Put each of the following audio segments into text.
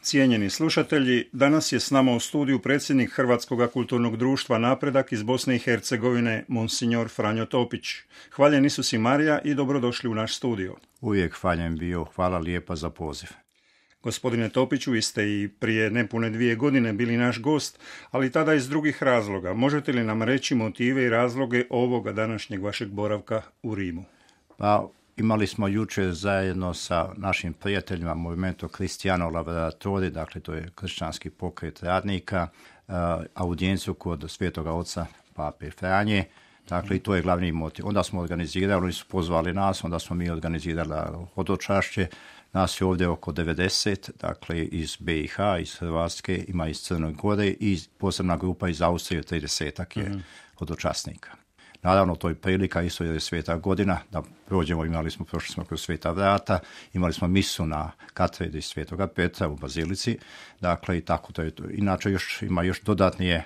Cijenjeni slušatelji, danas je s nama u studiju predsjednik Hrvatskog kulturnog društva Napredak iz Bosne i Hercegovine, monsignor Franjo Topić. Hvaljen Isus i Marija i dobrodošli u naš studio. Uvijek hvaljen bio, hvala lijepa za poziv. Gospodine Topiću, vi ste i prije nepune 2 godine bili naš gost, ali tada iz drugih razloga. Možete li nam reći motive i razloge ovoga današnjeg vašeg boravka u Rimu? Pa, imali smo jučer zajedno sa našim prijateljima Movimento Cristiano Lavoratori, dakle to je kršćanski pokret radnika, audijenciju kod Svetoga Oca Pape Franje. Dakle, i to je glavni motiv. Onda smo organizirali, oni su pozvali nas, onda smo mi organizirali hodočašće. Nas je ovdje oko 90, dakle iz BiH, iz Hrvatske, ima iz Crne Gore i posebna grupa iz Austrije, 30-ak je hodočasnika. Naravno, to je prilika, isto jer je sveta godina, da prođemo, prošli smo kroz Sveta vrata, imali smo misu na katedri Svetoga Petra u Bazilici, dakle i tako to je to. Inače, ima još dodatnije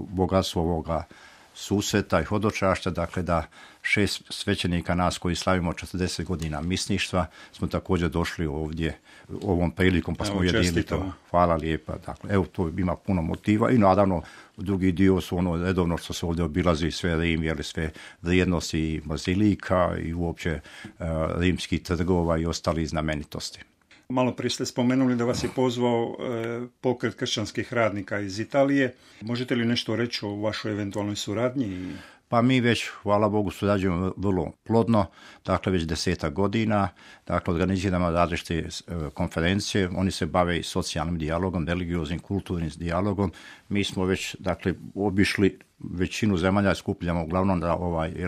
bogatstvo ovoga susreta i hodočašća, dakle da 6 svećenika nas koji slavimo 40 godina misništva smo također došli ovdje ovom prilikom pa smo ujedinili to. Hvala lijepa. Dakle, evo to ima puno motiva i naravno drugi dio su ono redovno što se ovdje obilazi sve Rim, jeli sve vrijednosti bazilika i uopće rimskih trgova i ostali znamenitosti. Malo prije ste spomenuli da vas je pozvao pokret kršćanskih radnika iz Italije. Možete li nešto reći o vašoj eventualnoj suradnji? Pa mi već, hvala Bogu, surađujemo vrlo plodno, dakle već 10 godina, dakle organiziramo različite konferencije, oni se bave i socijalnim dijalogom, religioznim, kulturnim dijalogom. Mi smo već, dakle, obišli većinu zemalja, skupljamo uglavnom da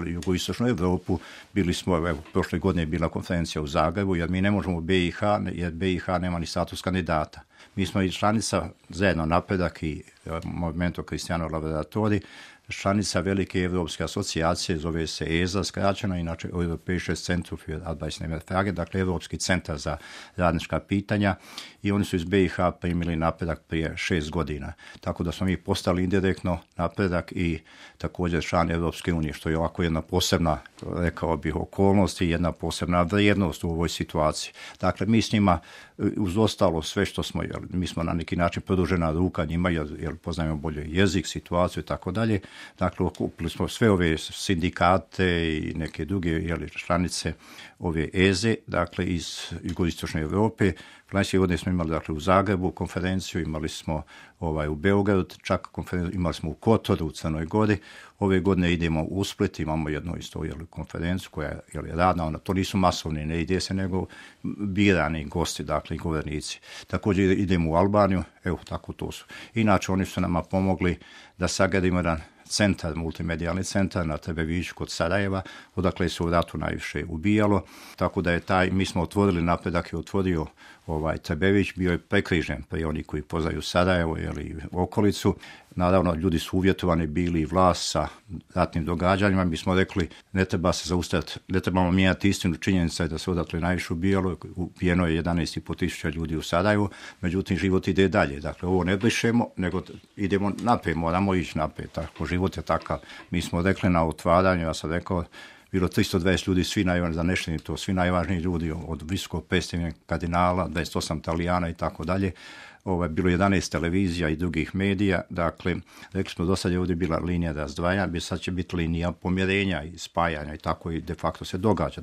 jugoistočnu Europu. Bili smo, evo, prošle godine je bila konferencija u Zagrebu, jer mi ne možemo u BiH, jer BiH nema ni status kandidata. Mi smo i članica zajedno Napredak i Movimento Cristiano Lavoratori, članica velike evropske asocijacije, zove se EZA skraćeno, inače Europäisches Zentrum für Arbeitsnehmerfrage, dakle Evropski centar za radnička pitanja, i oni su iz BiH primili Napredak prije 6 godina. Tako da smo mi postali indirektno Napredak i također član Evropske unije, što je ovako jedna posebna, rekao bih, okolnost i jedna posebna vrijednost u ovoj situaciji. Dakle, mi s njima, uz ostalo sve što smo, mi smo na neki način produžena ruka njima, jer poznajemo bolje jezik, situaciju i tako dalje. Dakle, okupili smo sve ove sindikate i neke druge članice ove EZE, dakle iz jugoistočne Europe. Prošle godine smo imali, dakle, u Zagrebu konferenciju, imali smo u Beogradu, čak konferenciju, imali smo u Kotoru, u Crnoj Gori. Ove godine idemo u Split, imamo jednu isto konferenciju koja je radna, to nisu masovni, ne ide se, nego birani gosti, dakle i govornici. Također idemo u Albaniju, evo tako to su. Inače, oni su nama pomogli da sagradimo jedan centar, multimedijalni centar na Trebeviću kod Sarajeva, odakle se u ratu najviše ubijalo, tako da je mi smo otvorili, Napredak je otvorio Trebević, bio je prekrižen prije oni koji poznaju Sarajevo ili okolicu. Naravno, ljudi su uvjetovani bili i vlast sa ratnim događanjima. Mi smo rekli, ne treba se zaustaviti, ne trebamo mijenjati istinu. Činjenica je da se odatle najviše ubijeno je 11.500 ljudi u Sarajevu, međutim život ide dalje. Dakle, ovo ne brišemo, nego idemo naprijed, moramo ići naprijed. Tako, život je takav. Mi smo rekli na otvaranju, ja sam rekao, bilo 320 ljudi, svi najvažniji ljudi, od visokog predstavnika kardinala, 28 Italijana i tako dalje. Bilo 11 televizija i drugih medija, dakle, rekli smo, do sad je ovdje bila linija razdvajanja, sad će biti linija pomirenja i spajanja i tako i de facto se događa.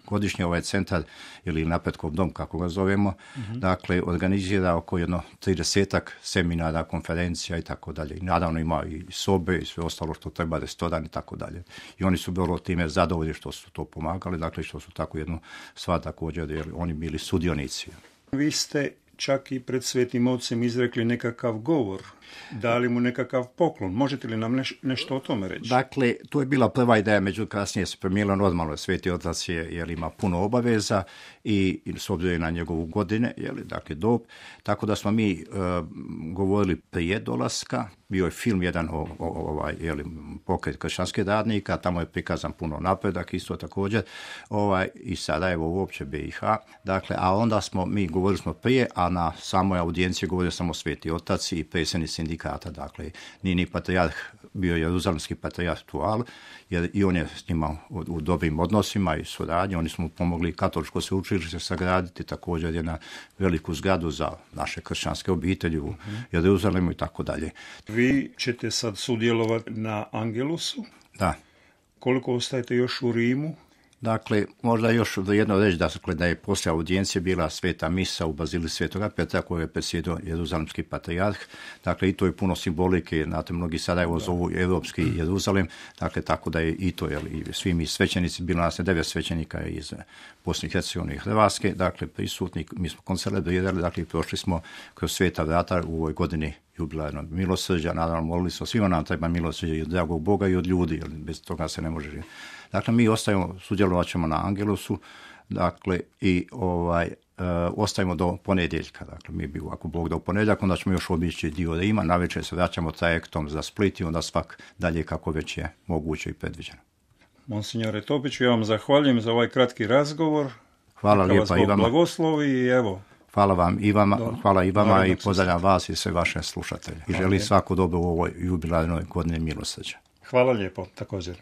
Godišnje ovaj centar, ili Napretkov dom, kako ga zovemo, dakle, organizira oko 30-ak seminara, konferencija i tako dalje. I naravno ima i sobe i sve ostalo što treba, restoran i tako dalje. I oni su bilo time zadovoljni što su to pomagali, dakle, što su tako jednu stvar također, jer oni bili sudionici. Vi ste čak i pred Svetim Ocem izrekli nekakav govor, dali mu nekakav poklon. Možete li nam nešto o tome reći? Dakle, to je bila prva ideja, međutim kasnije se promijenilo normalno. Sveti Otac jer ima puno obaveza i s obzirom na njegovu godine, dakle dob, tako da smo mi govorili prije dolaska. Bio je film jedan o pokret kršćanskih radnika, tamo je prikazan puno Napredak isto također, i Sarajevo uopće BiH. Dakle, a onda govorili smo prije, a na samoj audijenciji govorio samo Sveti Otac i predsjednik sindikata, dakle, Nini Patrijarh bio jeruzalemski patrijarh Tual, jer i on je s njima u dobrim odnosima i suradnji. Oni smo pomogli katoličko sveučilište sagraditi, također jedna veliku zgradu za naše kršćanske obitelji u Jeruzalemu i tako dalje. Vi ćete sad sudjelovati na Angelusu. Da. Koliko ostajete još u Rimu? Dakle, možda još jedno reći da je poslije audijencije bila sveta misa u Bazili Svetoga Petra koju je predsjedao jeruzalemski patrijarh. Dakle, i to je puno simbolike, znate, mnogi Sarajevo zovu Europski Jeruzalem, dakle, tako da je i to, i svi mi svećenici, bilo nas 9 svećenika iz Bosne i Hercegovine i Hrvatske, dakle, prisutni, mi smo koncelebrirali, dakle, prošli smo kroz sveta vrata u ovoj godini jubilarnog milosrđa, naravno molili smo, svima nam treba milosrđa i od dragog Boga i od ljudi, jer bez toga se ne može živjeti. Dakle, mi sudjelovat ćemo na Angelusu, dakle, i ostajemo do ponedjeljka. Dakle, mi bi ako Bog da u ponedjeljak, onda ćemo još obići dio Rima, navečer se vraćamo trajektom za Split i onda svak dalje kako već je moguće i predviđeno. Monsignore Topiću, ja vam zahvaljujem za ovaj kratki razgovor. Hvala lijepa i vama. Blagoslovi i evo. Hvala vam i vama, hvala i vama i pozdravljam vas i sve vaše slušatelje. I želim svako dobro u ovoj jubilarnoj godini milosrđa. Hvala lijepo, također.